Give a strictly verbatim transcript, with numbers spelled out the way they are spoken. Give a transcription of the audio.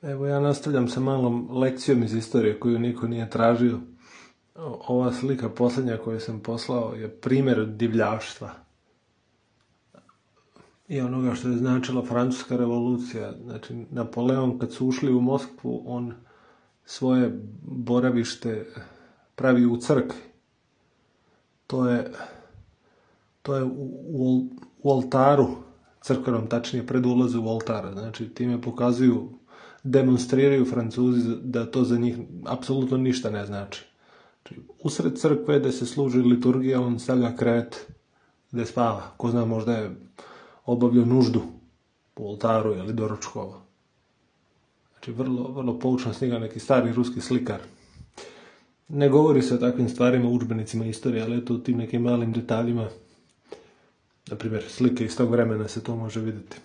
Evo ja nastavljam sa malom lekcijom iz istorije koju niko nije tražio. Ova slika posljednja koju sam poslao je primjer divljaštva i onoga što je značila Francuska revolucija. Znači, Napoleon kad su ušli u Moskvu, on svoje boravište pravi u crkvi. To je, to je u, u, u oltaru crkvenom, tačnije pred ulaze u oltar. Znači, time pokazuju, demonstriraju Francuzi da to za njih apsolutno ništa ne znači. Znači, usred crkve gde se služi liturgija, on stavlja krevet gde spava. Ko zna, možda je obavljao nuždu u oltaru ili doručkovao. Znači, vrlo, vrlo poučna slika, neki stari ruski slikar. Ne govori se o takvim stvarima u udžbenicima istorije, ali eto u tim nekim malim detaljima, na primjer, slike iz tog vremena se to može vidjeti.